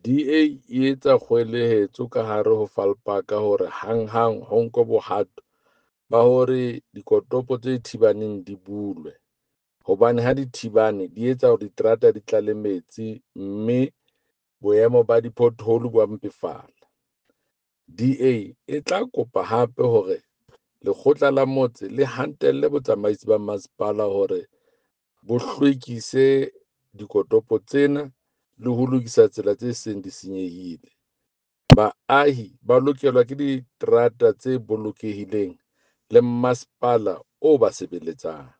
DA e etsa kgoeletso ka hare ho Vaalpark hore hanghang ho nkwe bohato ba hore dikotopo tse thibaneng di bulwe, hobane ha di thibane di etsa hore diterata di tlale metsi mme boemo ba di-pothole bo a mpefala. DA e tla kopa hape hore lekgotla la motse le hatelle botsamaisi ba masepala hore bo hlwekise dikotopo tsena le ho lokisa tsela tse seng di senyehile. Baahi ba lokelwa ke diterata tse bolokehileng le masepala o ba sebeletsang.